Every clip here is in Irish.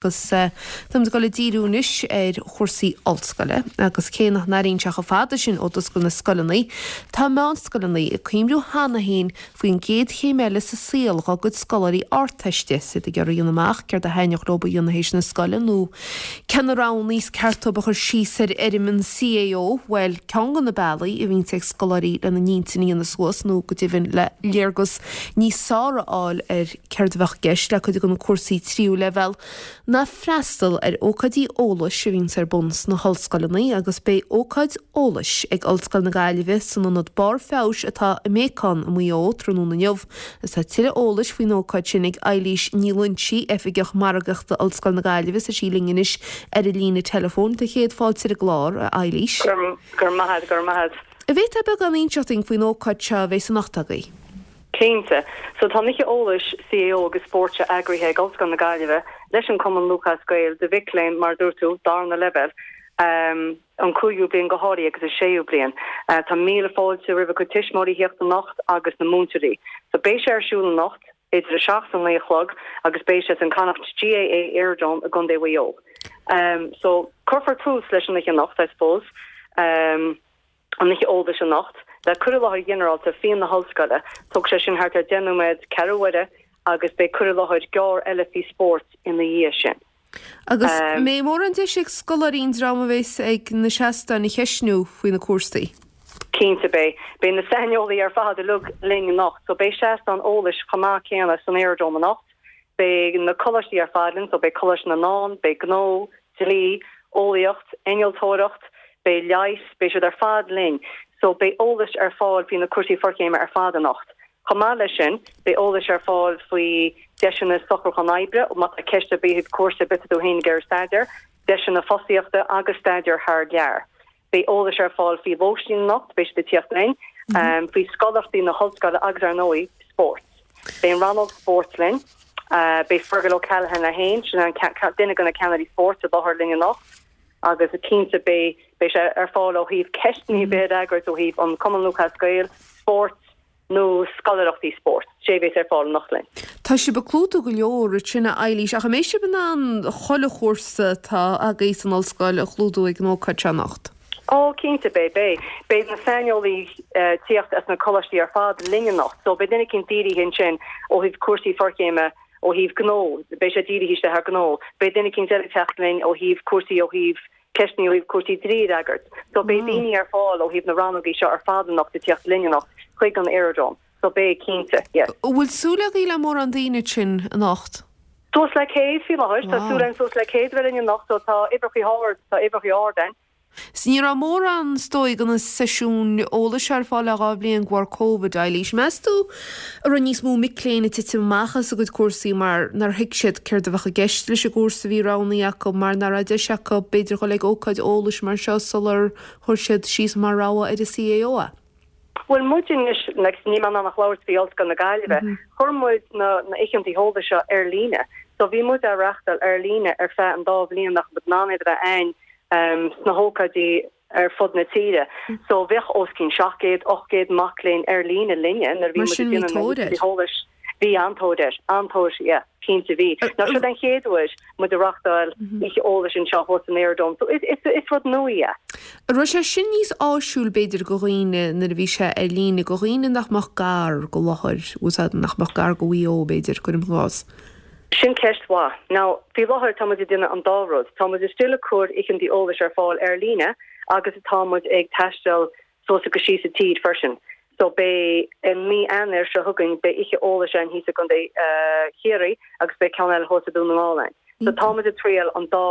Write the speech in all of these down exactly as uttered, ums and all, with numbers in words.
Agus táimid ag dul ag díriú anois ar chúrsaí ollscoile, agus cé nach n-airíonn sé chomh fada sin ó d'oscail na scoileanna, tá meánscoileanna ag cuimhniú cheana féin faoin gcéad chéim eile sa saol dá gcuid scoláirí Ardteiste, is iad ag iarraidh a dhéanamh amach céard a thaitneodh leo a dhéanamh théis na scoile nó cé na roghanna is ceart dóibh a chur síos ar fhoirm an CAO. Bhuel, ceann de na bealaí a bhíonns ag scoláirí lena n-intinn a dhéanamh suas nó go deimhin le léargas níos fearr a fháil ar céard a bheadh i gceist le cuid de na cúrsaí tríú leibhéal, ná freastal ar ócáidí eolais a bhíonns ar bun sna hollscoileanna agus beidh ócáid eolais ag Ollscoil na Gaillimhe san Ionad Barr Feabhais atá i mBéacán i Maigh Eo tráthnóna inniu agus tá tuilleadh eolais faoin ócáid sin ag Eilís Ní Loinsigh, Oifigeach Margaíochta Ollscoil na Gaillimhe. Tá sí linn anois ar an líne teileafóin. Tá céad fáilte ar an gclár, a Eilís. Go raibh maith agat, go raibh maith agat. An bhféadfá beagán a inseacht dúinn faoin ócáid seo a bheas anocht agaibh? Cinnte. So tá an Oíche Eolais CAO agus Spóirt seo eagraithe ag Ollscoil na Gaillimhe leis an Cumann Lúthchleas Gael do mhic léinn mar dúirt tú darna leibhéal um, an cúigiú bliain go háirithe agus an séú bliain. Uh, tá míle fáilte roimh a gcuid tuismitheoirí theacht anocht agus na múinteoirí. So beidh sé ar siúl anocht idir a seacht an naoi a chlog agus beidh sé san Connacht GAA Aerodrome i gContae Mhaigh Eo. Um, so cuirfear tús leis an oíche anocht, I suppose. Um, an oíche eolais anocht, le cur i láthair ghinearálta faoi na hollscoile, tógfaidh sé sin thart ar deich nóiméad ceathrú uaire agus beidh cur i láthair gearr eile faoi spórt ina dhiaidh sin. Agus an mbeidh mórán deis ag scoláirí an dream a bheas ag na seastáin a cheistniú faoi na cúrsaí? Cinnte beidh. Beidh na saineolaí ar fad uilig linn anocht, so beidh seastán eolais chomh maith céanna san Aerodrome anocht. Beidh na coláistí ar fad linn, so beidh Coláiste na nDán, beidh gnó, dlí, eolaíocht, innealtóireacht, beidh leighis, beidh siad ar fad linn, so beidh eolas ar fáil faoi na cúrsaí forchéime ar fad anocht. Chomh maith leis sin, beidh eolas ar fáil faoi deiseanna socrúchán oibre, má tá ceist ar bith cúrsa ar bith tú féin ag iarraidh staidéar, deiseanna fostaíochta agus staidéar thar lear. Beidh eolas ar fáil faoi lóistín anocht, beidh siad ag tíocht linn, um, faoi scoláireachtaí na hollscoile agus ar ndóigh spórt. Beidh an rannóg spóirt linn, uh, beidh Fergal O'Callaghan é féin, sin an duine de na ceannairí spóirt i láthair linn anocht. agus cinnte beidh beidh sé ar fáil ó thaobh ceisteanna a fhreagairt ó thaobh an Cumann Lúthchleas Gael, spórt nó scoláireachtaí spóirt, sé bheas ar fáil anocht linn. Tá sibh ag clúdú go leor sin a Eilís, ach an mbeidh sibh in ann chuile chúrsa atá agaibh san ollscoil a chlúdú ag an ócáid seo anocht? Ó cinnte beidh beidh beidh na saineolaí uh, tíocht as na coláistí ar fad linn anocht, so beidh duine éicint dírithe ansin ó thaobh cúrsaí forchéime ó thaobh gnó, beidh sé dírithe isteach ar gnó, beidh duine éicint eile teacht linn ó thaobh cúrsaí ó thaobh ceisteanna ó thaobh cúrsaí dlí a fhreagairt. So beidh daoine ar fáil ó thaobh na rannógaí seo ar fad anocht ag teacht linn anocht chuig an Aerodrome. So beidh cinnte, yes. Bhfuil súil agaibh le mórán daoine sin anocht? Suas le céad faoi láthair, tá súil againn suas le céad bheith linn anocht, so tá uimhreacha ard, tá uimhreacha ard ann. 'S ní raibh mórán is dóigh de na seisiúin eolais ar fáil le dhá bhliain de bharr Covid, Eilís. Meas tú an raibh níos mó mic léinn ag titim amach as a gcuid cúrsaí mar nár thuig siad céard a bheadh i gceist leis an gcúrsa a bhí roghnaithe acu, mar nach raibh deis acu b'fhéidir dhul ag ócáid eolais mar seo sular chuir siad síos mar rogha ar an CAO é? Bhuel muid anois like, níl mé in ann ach labhairt faoi Ollscoil na Gaillimhe, chuir muid na na oícheanta eolais seo ar líne. So bhí muid á reáchtáil ar líne ar feadh an dá bhliain nach raibh in ann iad a bheith ann um, sna hócáidí ar fud na tíre. So bheadh os cionn seacht gcéad, ocht gcéad mac léinn ar líne linne nuair bhí Mar sin bhí tóir air. eolais. Bhí an-tóir air, an-tóir, yeah, cinnte bhí. Ná seo den chéad uair muid ag reáchtáil oíche eolais anseo thuas san Aerodrome. So is, is, is rud nua é. An raibh sé sin níos áisiúil b'fhéidir do dhaoine nuair a bhí sé ar líne do dhaoine nach mbeadh gar go láthair, úsáid nach mbeadh gar go Mhaigh Eo b'fhéidir cuirim i gcás. Sin ceist mhaith. Now, faoi láthair tá muid ag déanamh an dá rud. Tá muid still ag cur oícheanta eolais ar fáil ar líne agus tá muid ag taisteal suas agus síos sa tír freisin. So beidh i mí Eanáir seo chugainn beidh oíche eolais ann thíos i gContae uh, Chiarraí agus beidh ceann eile thuas i Dún na nGall ann. So tá muid ag triail an dá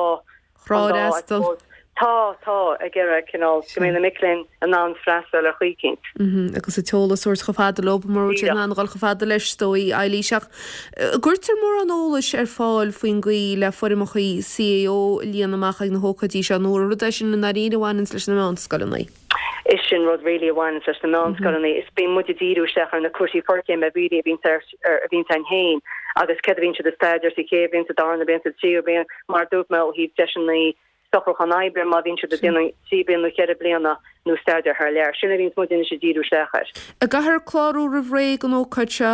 Thrá an dá, I fhreastal. suppose. Tá tá ag iarraidh cineál go mbeidh na mic léinn in ann freastal ar chaoi éicint. Mhm, agus an t-eolas a thabhairt chomh fada leo mar sin Díreach. an dul chomh fada leis is dóigh Eilís ach an gcuirtear mórán eolais ar fáil faoin gcaoi le foirmeacha CAO a líonadh amach ag na hócáidí seo nó rud é sin i ndáiríre a bhaineanns leis na meánscoileanna. Is sin rud really a bhaineanns leis na meánscoileanna is bíonn muid ag díriú isteach ar na cúrsaí forchéime really a bhíonn ar a bhíonn ann féin agus céard a bhíonn siad ag staidéar sa chéad bhliain sa darna bliain sa tríú bliain mar dúirt mé ó thaobh deiseanna socrúchán oibre má bhíonn siad ag déanamh trí bliana nó ceithre bliana nó staidéar thar lear. Sin a bhíonn muid ag díriú isteach air. An gcaithfear clárú roimh ré don ócáid seo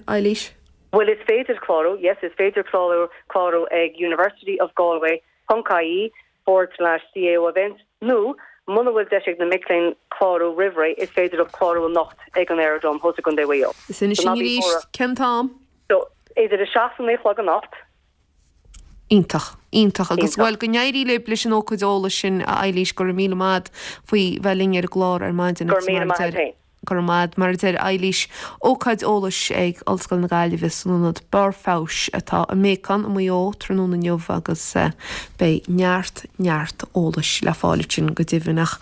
Eilís? Well is féidir clárú, yes, is féidir clárú clárú ag University of Galway ponc ie forward slash CAO event nó muna bhfuil deis ag na mic léinn clárú roimh ré is féidir leo clárú anocht ag an Aerodrome thuas i gContae Mhaigh Eo. Is inis So ná bí arís buartha. cén t-am? So idir a seacht naoi a chlog anocht. Iontach, iontach agus Iontach. bhuel go n-éirí libh leis an ócáid eolais sin a Eilís go raibh míle maith faoi bheith linn ar an gclár ar maidin Gur agus míle mar a maith deir- féin. Gur maith mar a deir Eilís ócáid eolais ag Ollscoil na Gaillimhe san ionad Barr Feabhais atá i mBéacán i Maigh Eo tráthnóna inniu agus eh, beidh neart neart eolais le fáil sin go deimhin ach.